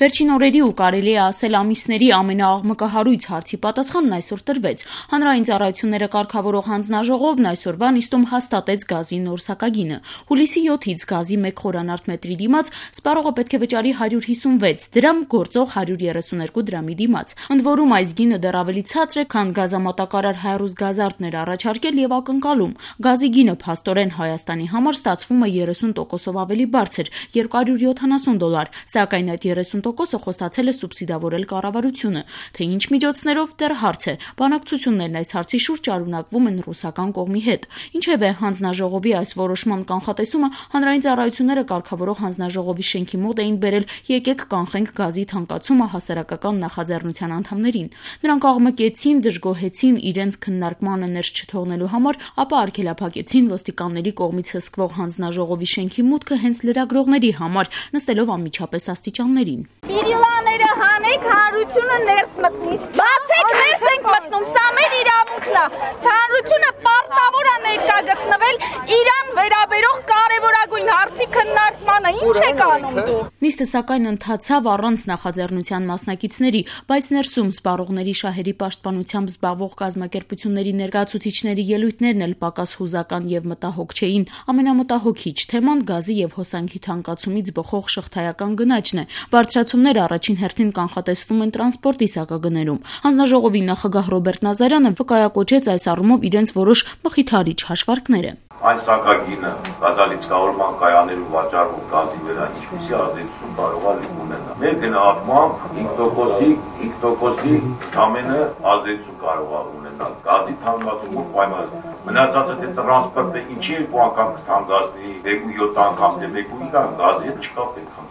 Վերջին օրերի ու կարելի է ասել ամիսների ամենաաղմկահարույց հարցի պատասխանն այսօր տրվեց։ Հանրային ծառայությունները կարգավորող հանձնաժողովն այսօրվա նիստում հաստատեց գազի նոր սակագինը։ Հուլիսի 7-ից գազի 1 խորանարդ մետրի դիմաց սպառողը պետք է վճարի 156 դրամ, գործող 132 դրամի դիմաց։ Ընդ որում այս գինը դեռ ավելի ցածր է, քան գազամատակարար Հայրուզ Գազարդն էր առաջարկել եւ ակնկալում։ Գազի գինը փաստորեն Հայաստանի համար ստացվում է 30%-ով ավելի բարձր՝ $270, սակայն այդ 30%-ը խոստացել է սուբսիդավորել կառավարությունը, թե ինչ միջոցներով դեռ հարց է։ Բանակցություններն այս հարցի շուրջ շարունակվում են ռուսական կողմի հետ։ Ինչևէ, հանձնաժողովի այս որոշման կանխատեսումը հանրային ծառայությունները կարգավորող հանձնաժողովի շենքի մոտ էին բերել «Եկեք կանխենք գազի թանկացումը» հասարակական նախաձեռնության անդամներին։ Նրանք աղմկեցին, դժգոհեցին իրենց քննարկմանը ներս չթողնելու համար, ապա արգելափակեցին ոստիկանների կողմից հսկվող հանձնաժողովի շենքի մուտքը հենց լրագրողների համար, նստելով անմիջապես աստիճաններին։ Բիրիլաները հանեք, հանրությունը ներս մտնի։ Բացեք, ներս ենք մտնում, սա մեր իրավունքն է։ Հանրությունը պարտավոր է ներկա գտնվել իրան վերաբերող կարևորագույն հարցի քննարկմանը։ Ինչ եք անում դուք։ Նիստը սակայն ընթացավ առանց նախաձեռնության մասնակիցների, բայց ներսում սպառողների շահերի պաշտպանությամբ զբաղվող կազմակերպությունների ներկայացուցիչների ելույթներն էլ պակաս հուզական եւ մտահոգ չէին։ Ամենամտահոգիչ թեման գազի եւ հոսանքի թանկացումից բխող շղթայական գնաճն է։ Բարձրացումները առաջին հերթին կանխատեսվում են տրանսպորտի սակագներում։ Հանձնաժողովի նախագահ Ռոբերտ Նազարյանը վկայակոչեց այս առումով իրենց որոշ մխիթարիչ հաշվարկները։ Այն սակագինը գազալիցկավորման կայաններում վաճառվող գազի վրա ինչպիսի ազդեցություն կարող է ունենալ։ Մեր գնահատմամբ 5%-ի ամենը ազդեցություն կարող է ունենալ գազի թանկացումով պայմանով։ Մնացածը թե տրանսպորտը ինչի 2 անգամ կթանկացնի, 2-7 անգամ, թե 1-9 գազի հետ չկա պետք է։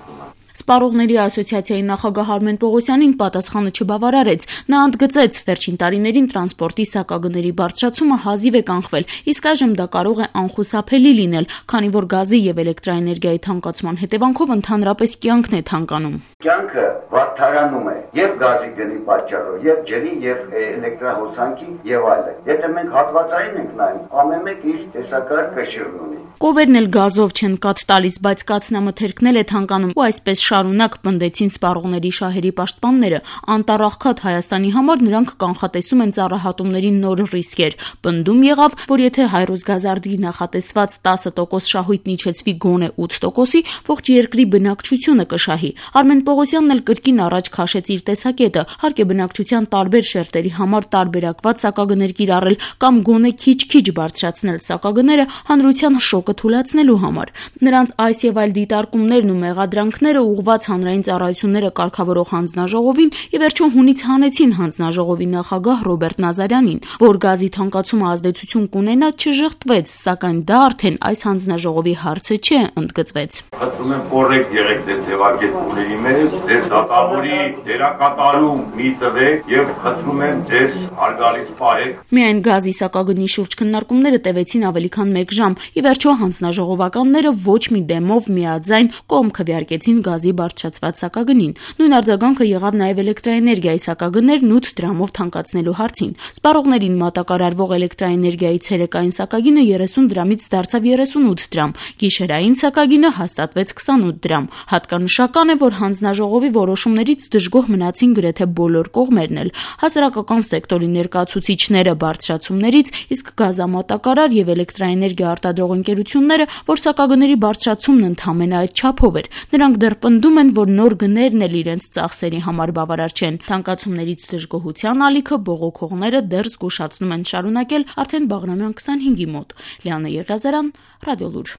Սպառողների ասոցիացիայի նախագահ Արմեն Պողոսյանին պատասխանը չբավարարեց։ Նա ընդգծեց, վերջին տարիներին տրանսպորտի սակագների բարձրացումը հազիվ է կանխվել, իսկ այժմ դա կարող է անխուսափելի լինել, քանի որ գազի եւ էլեկտրաէներգիայի թանկացման հետևանքով ընդհանրապես կյանքն է թանկանում։ Կյանքը վատթարանում է եւ գազի գնի պատճառով, եւ ջրի, եւ էլեկտրահոսանքի եւ այլն։ Եթե մենք հատվածային ենք նայում, ամեն մեկ իր տեսակարգ շիրն ունի։ Կովերն էլ գազով չեն կաթ տալիս, բայց կաթնամթերքն էլ է թանկանում, ու այսպես շարունակ պնդեցին սպառողների շահերի պաշտպանները։ Անտառաղքատ Հայաստանի համար նրանք կանխատեսում են ծառահատումների նոր ռիսկեր։ Պնդում եղավ, որ եթե Հայրուզ Գազարդի նախատեսված 10% շահույթն իջեցվի գոնե 8%-ի, ողջ երկրի բնակչությունը կշահի։ Արմեն Պողոսյանն էլ կրկին առաջ քաշեց իր տեսակետը, հարկ է բնակչության տարբեր շերտերի համար տարբերակված սակագներ կիրառել կամ գոնե քիչ-քիչ բարձրացնել սակագները հանրության շոկը թուլացնելու համար։ Նրանց այս եւ այլ դիտարկումներն ու մեղադրանքները ուղղված հանրային ծառայությունները կարգավորող հանձնաժողովին ի վերջո հունից հանեցին հանձնաժողովի նախագահ Ռոբերտ Նազարյանին, որ գազի թանկացումը ազդեցություն կունենա չժխտվեց, սակայն դա արդեն այս հանձնաժողովի հարցը չէ, ընդգծվեց։ Խնդրում եմ կոռեկտ եղեք ձեր ձևակերպումների մեջ, ձեր դատավորի դերակատարում մի տվեք եւ խնդրում եմ ձեզ հարգալից պահեք։ Միայն գազի սակագնի շուրջ քննարկումները տևեցին ավելի քան 1 ժամ։ Ի վերջո հանձնաժողովականները ոչ մի դեմով միաձայն կողմ քվեարկեցին գազի բարձրացված սակագնին։ Նույն արձագանքը եղավ նաև էլեկտրաէներգիայի սակագներն 8 դրամով թանկացնելու հարցին։ Սպառողներին մատակարարվող էլեկտրաէներգիայի ցերեկային սակագինը 30 դրամից դարձավ 38 դրամ, գիշերային սակագինը հաստատվեց 28 դրամ։ Հատկանշական է, որ հանձնաժողովի որոշումներից դժգոհ մնացին գրեթե բոլոր կողմերն էլ։ Հասարակական սեկտորի ներկայացուցիչները բարձրացումներից, իսկ գազամատակարար եւ էլեկտրաէներգիա արտադրող ընկերությունները, որ սակագների բարձրացումն ընդհանրապես այդ չափով էր։ Նրանք դեռ պնդում են, որ նոր գներն էլ իրենց ծախսերի համար բավարար չեն։ Թանկացումներից դժգոհության ալիքը բողոքողները դեռ զգուշացնում են շարունակել արդեն Բաղրամյան 25-ի մոտ։ Լիանա Եղիազարյան, Ռադիոլուր։